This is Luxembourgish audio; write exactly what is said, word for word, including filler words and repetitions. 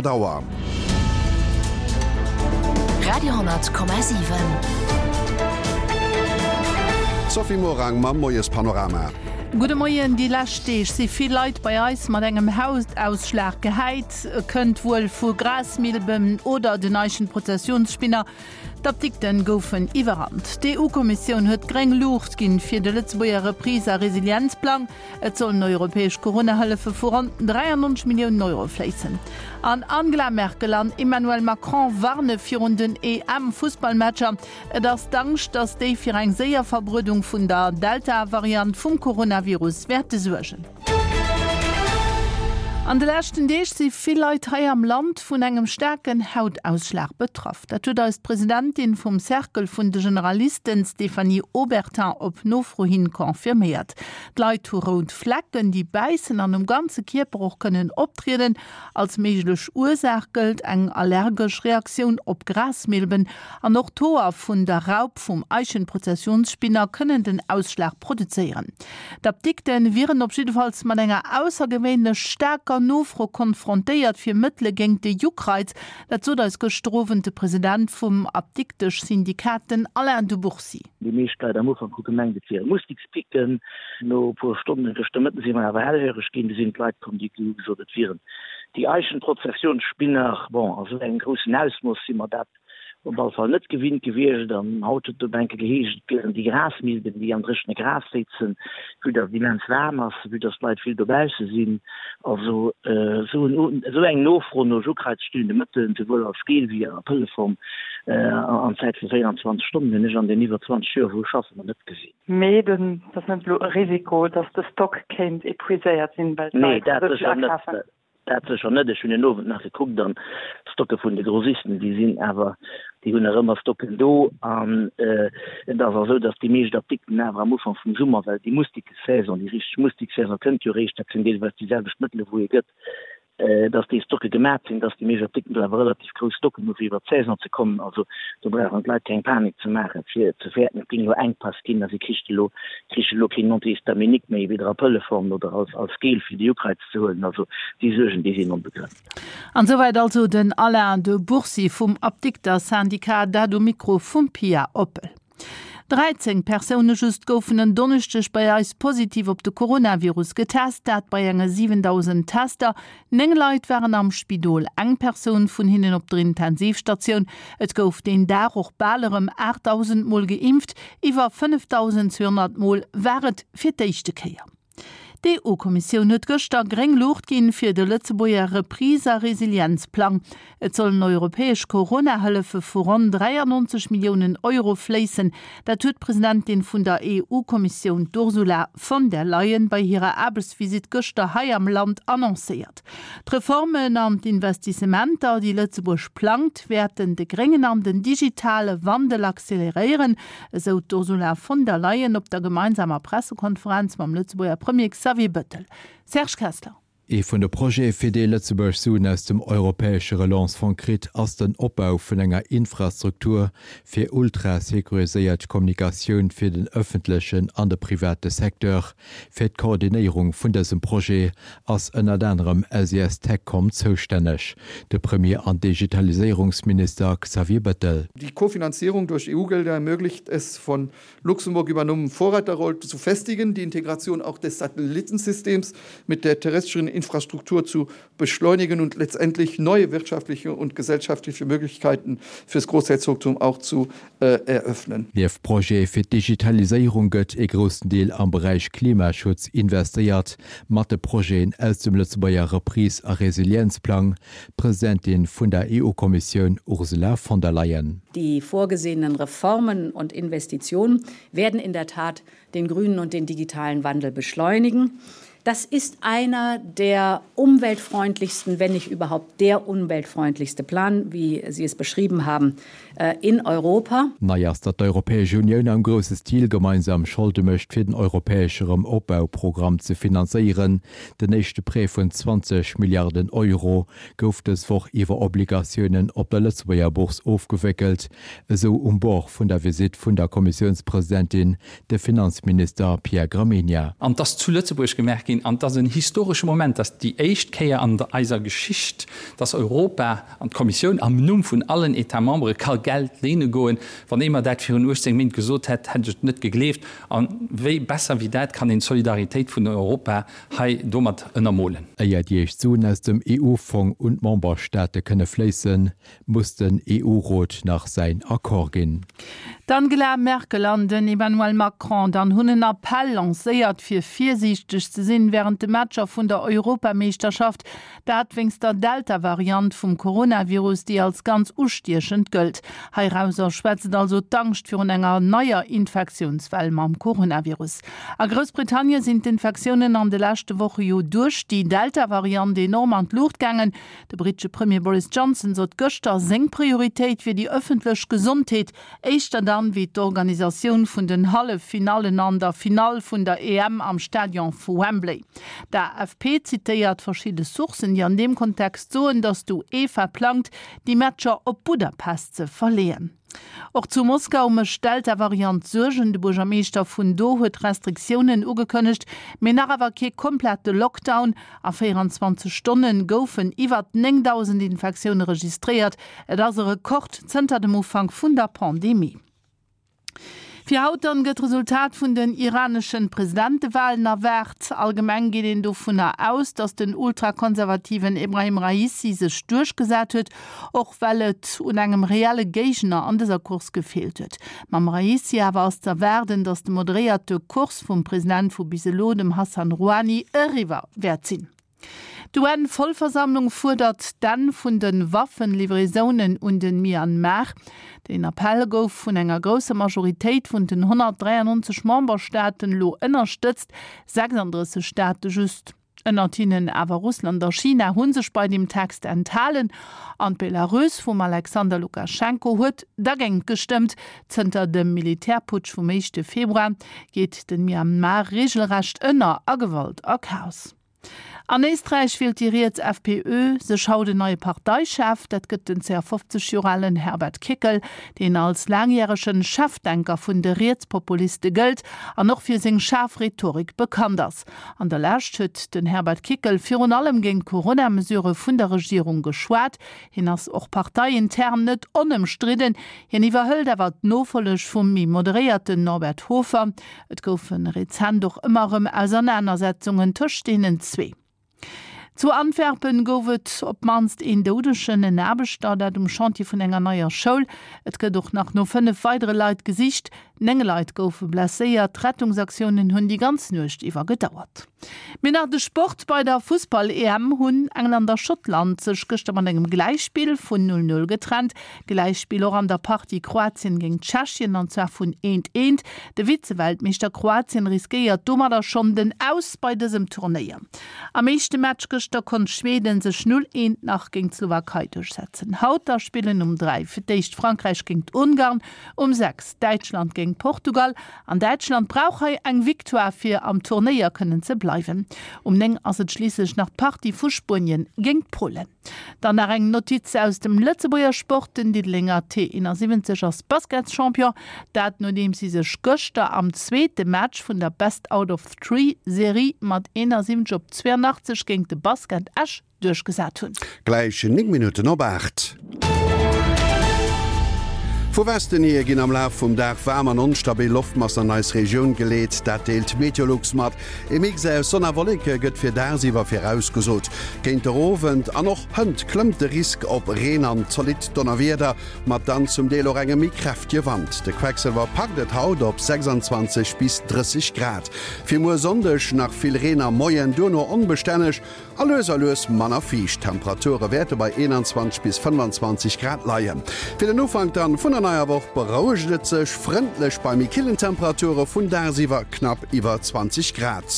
Auer. Radio hundert Komma siwen. D'Sophie Morang mam Moiespanorama. Gudde Moien, Déi lescht Deeg si vill Leit bei eis mat engem Hautausschlag gehäit. Kënnt wuel vu Grasmilben oder den Eichenprozessionsspinner. D'Apdikten goufen iwwerrannt. D'E U-Kommissioun huet gréng Luucht ginn fir de Lëtzebuerger Reprise a Resilienzplang. Et sollen europäesch Corona-Hëllefe vu ronn dräiannonzeg Milliounen Euro fléissen. An Angela Merkel an Emmanuel Macron warne virun den E M-Fussballmatcher. Et ass d'Angscht, datt déi fir eng séier Verbreedung vun der Delta-Variant vum Coronavirus wäerte suergen. An de leschten Deeg si vill Leit hei am Land vun engem staarken Hautausschlag betraff. Dat huet eis d'Presidentin vum Cercle vun de Generalisten, Stéphanie Obertin, op Nofro hin confirméiert. D'Leit hu rout Flecken, déi bäissen an um ganze Kierper och kënnen optrieden. Als méiglech Ursaach gëllt eng allergesch Reaktioun op Grasmilben an och d'Hoer vun der Raup vum Eichenprozessionsspinner kënnen den Ausschlag produzéieren. D'Apdikte wieren op jiddefalls mat enger aussergewéinlech staarker Nofro konfrontéiert fir Mëttele géint de Juckreiz. Dat sot eis gëschter Owend de President vum Apdiktesch-Syndikat, den Alain de Bourcy. Déi meescht Leit am Ufank hu gemengt, et wiere Mustikspicken. No e puer Stonnen, gëschter Mëtten, si mer awer hellhöreg ginn. Du sinn d'Leit komm, déi hu gesot, et wieren déi Eichenprozessionsspinner. Bon, a sou engem groussen Ausmooss si mer dat op alle Fall net gewinnt gewiescht. An haut huet et op eng Kéier geheescht, et wieren déi Grasmilben, déi am dréchene Gras séizen, vue dass et immens waarm ass, vue dass d'Leit vill dobausse sinn. Also esou esou eng Nofro no juckreizstillende Mëttelen, souwuel als Gel wéi a Pëlleform, an Zäit vu véierundzwanzeg Stonnen, hunn ech an den iwwer zwanzeg Joer, wou ech schaffen, nach net gesinn. Mee dat ass net elo e Risiko, dass de Stock kéint epuiséiert sinn, well Nee, d'Leit dat esou vill sécher net. akafen? Dat sécher net. Ech hunn den Owend nach gekuckt an d'Stocke vun de Grossisten, déi sinn awer, déi hunn nach ëmmer Stocken do. An et ass och esou, datt déi meescht Apdikten awer am Ufank vum Summer, well déi Mustikesaison, déi richteg Mustikesaison kënnt jo eréischt, dat sinn deelweis déi selwecht Mëttele wou ee gëtt, datt déi Stocke gemat sinn, datt déi meescht Apdikten do awer relativ grouss Stocken hu fir iwwer d'Saison ze kommen. Also do brauchen d'Leit keng Panik ze maachen, fir ze fäerten, et géing elo Enkpass ginn a si kricht elo, kriche elo keen Antihistaminique méi, weder a Pëlleform oder als, als Gel fir de Juckreiz ze huelen. Also déi Suergen, déi sinn onbegrënnt. An souwäit also den Alain de Bourcy vum Apdikter-Syndicat, dat um Mikro vum Pia Oppel. dräizéng Persoune just goufen en Donneschdeg bei eis positiv op de Coronavirus getest, dat bei enge siwendausend Tester. Néng Leit waren am Spidol, eng Persoun vun hinnen op der Intensivstatioun. Et gouf deen Dag och bal erëm aachtdausend Mol geimpft, iwwer fënnefdausendzweehonnert Mol war et fir d'éischte Kéier. D'E U-Kommissioun huet gëschter gréng Luucht ginn fir de Lëtzebuerger Reprise a Resilienzplang. Et sollen europäesch Corona-Hëllefe vu ronn dräiannonzeg Milliounen Euro fléissen. Dat huet d'Presidentin vun der E U-Kommissioun, d'Ursula von der Leyen, bei hirer Aarbechtsvisitt gëschter hei am Land annoncéiert. D'Reformen an d'Investissementer, déi Lëtzebuerg plangt, wäerten de gréngen an den digitale Wandel acceleréieren, esou d'Ursula von der Leyen op der gemeinsamer Pressekonferenz mam Lëtzebuerger Premier Xavier Bettel. Serge Kessler. Ee vun de Projete fir déi Lëtzebuerg Suen aus dem europäesche Relance-Fond kritt, ass den Opbau vun enger Infrastruktur fir ultra-securiséiert Kommunikatioun fir den ëffentlechen an de private Secteur. Fir d'Koordinéierung vun dësem Projet ass ënnert anerem S I S TechCom zoustänneg. De Premier an Digitaliséierungsminister Xavier Bettel. Die Kofinanzierung durch E U-Gelder ermöglicht es von Luxemburg übernommenen Vorreiterrolle zu festigen, die Integration auch des Satellitensystems mit der terrestrischen Infrastruktur zu beschleunigen und letztendlich neue wirtschaftliche und gesellschaftliche Möglichkeiten fürs Großherzogtum auch zu äh, eröffnen. Nieft Projete fir d'Digitaliséierung gëtt e groussen Deel am Beräich Klimaschutz investéiert, mat de Projeten aus dem Lëtzebuerger Reprise a Resilienzplang. D'Presidentin vun der E U-Kommissioun Ursula von der Leyen. Die vorgesehenen Reformen und Investitionen werden in der Tat den grünen und den digitalen Wandel beschleunigen. Das ist einer der umweltfreundlichsten, wenn nicht überhaupt der umweltfreundlichste Plan, wie Sie es beschrieben haben, äh, in Europa. Nei ass, datt d'Europäesch Unioun am grousse Stil gemeinsam Scholde mécht fir den europäesche Erëmopbauprogramm ze finanzéieren. Den éischte Prêt vun zwanzeg Milliarden Euro gouf dës Woch iwwer Obligatiounen op der Lëtzebuerger Bourse ofgewéckelt, esou um Bord vun der Visitt vun der Kommissiounspresidentin de Finanzminister Pierre Gramegna. An dass zu Lëtzebuerg gemerkt ginn, ginn. An et ass en historesche Moment, dass déi éischt Kéier an eiser Geschicht, dass Europa an d'Kommissioun am Numm vun allen États membres ka Geld léine goen. Wann ee mer dat virun uechtzéng Méint gesot hätt, hätt ech et net gegleeft. A wéi besser wéi dat kann een d'Solidaritéit vun Europa hei domat ënnermolen? Éier déi éischt Suen aus dem E U-Fong un d'Memberstaate kënne fléissen, muss den E U-Rot nach säin Accord ginn. D'Angela Merkel an den Emmanuel Macron dann hunn en Appell lancéiert, fir virsiichteg ze sinn wärend de Matcher vun der Europameeschterschaft, dat wéinst der Delta-Variant vum Coronavirus, déi als ganz ustiechend gëllt. Heirauser schwätzt also d'Angscht virun enger neier Infektiounswell mam Coronavirus. A Groussbritannien sinn d'Infektiounen an de leschte Woche jo duerch déi Delta-Variant enorm an d'Luucht gaangen. De brittesche Premier Boris Johnson sot gëschter, seng Prioritéit wier déi ëffentlech Gesondheet, éischter dann wéi d'Organisatioun vun den Halleffinallen an der Finall vun der E M am Stadion vu Wembley. D'A F P zitéiert verschidde Sourcen, déi an deem Kontext soen, datt d'UEFA plangt, déi Matcher op Budapest ze verleeën. Och zu Moskau mécht d'Delta-Variant Suergen. De Buergermeeschter vun do huet Restriktiounen ugekënnegt, mee nach awer kee komplette Lockdown. A véierenzwanzeg Stonne goufen iwwer néngdausend Infektioune registréiert. Et ass e Rekord zënter dem Ufank vun der Pandemie. Fir haut dann gëtt d'Resultat vun den iraneschen Presidentewalen erwaart. Allgemeng geet een dovunner aus, datt den ultrakonservativen Ebrahim Raisi sech duerchgesat huet, och well et un engem reelle Géigner an dëser Course gefeelt huet. Mam Raisi awer ass z'erwaarden, datt de moderéierte Kurs vum President vu bis elo, dem Hassan Rouhani, eriwwer wäert sinn. D'U N-Vollversammlung fuerdert d'Enn vun de Waffenlivraisounen un de Myanmar. Den Appell gouf vun enger grousser Majoritéit vun den honnertdräiannonzeg Memberstaaten elo ënnerstëtzt, sechsandrësseg Staate just, ënnert hinnen awer Russland a China, hu sech bei deem Text enthalen. An d'Belarus vum Alexander Lukaschenko huet dergéint gestëmmt. Zënter dem Militärputsch vum éischte Februar geet de Myanmar reegelrecht ënner a Gewalt a Chaos. An Éisträich wielt déi riets F P Ö sech haut en neie Parteichef. Dat gëtt den zweeafofzeg Joer alen Herbert Kickl, deen als laangjärege Chefdenker vun de Rietspopuliste gëllt an och fir seng schaarf Rhetorik bekannt ass. An der Lescht huet den Herbert Kickl virun allem géint d'Corona-Mesurë vun der Regierung geschwat. Hien ass och parteiintern net onëmstridden. Hien iwwerhëlt awer d'Nofolleg vum méi moderéierten Norbert Hofer. Et goufe rezent och ëmmer erëm Ausernanersetzungen tëscht deenen zwee. Zu Antwerpen gouf et op d'mannst een Doudegen, en Aarbechter, dat um Chantier vun enger neier Schoul. Et gëtt och nach no fënnef weidere Leit gesicht. Néng Leit goufe blesséiert. D'Rettungsaktiounen hunn déi ganz Nuecht iwwer gedauert. Mee nach de Sport, Bei der Fussball-E M hunn England a Schottland sech gëschter mat engem Gläichspill vun null null getrennt. Gläichspill och an der Partie Kroatien géint Tschechien, an zwar vun eent eent. De Vize-Weltmeeschter Kroatien riskéiert domadder schonn den Aus bei dësem Turnéier. Am éischte Match gëschter konnt Schweden sech null eent nach géint d'Slowakei duerchsetzen. Haut da spillen um dräi fir d'éischt Frankräich géint Ungarn, um sechs Däitschland géint Portugal. An Däitschland brauch hei eng Victoire fir am Turnéier kënnen ze bleiwen. Um néng ass et schliisslech nach d'Partie vu Spuenien géint Polen. Dann nach eng Notiz aus dem Lëtzebuerger Sport, Den Diddelenger T eenasiwwenzeg ass Basketschampion, dat nodeems si sech gëschter am zweete Match vun der Best out of Three Serie mat eenasiwwenzeg op zweeanachtzeg géint de Basket Esch duerchgesat hunn. Gläich néng Minutten op aacht. Vu Westen hier ginn am Laf vum Dag waarm an onstabil Loftmassen an eis Regioun geleet, dat deelt Meteolux mat. E Mix aus Sonn a Wolleke gëtt fir dagsiwwer virausgesot. Géint der Owend an och hënt klëmmt de Risk op Reen an zolidd Donnerwieder, mat dann zum Deel och engem méi kräftege Wand. De Quecksëlwer packt et haut op sechsanzwanzeg bis drësseg Grad. Fir muer Sonndeg nach vill Reen am Moien, duerno onbestänneg a lues a lues manner fiicht. D'Temperature wäerte bei eenanzwanzeg bis fënnfanzwanzeg Grad leien. Fir den Ufank dann vun der neier Woch berouegt et sech, frëndlech bei méi killen Temperature vun dagsiwwer knapp iwwer zwanzeg Grad.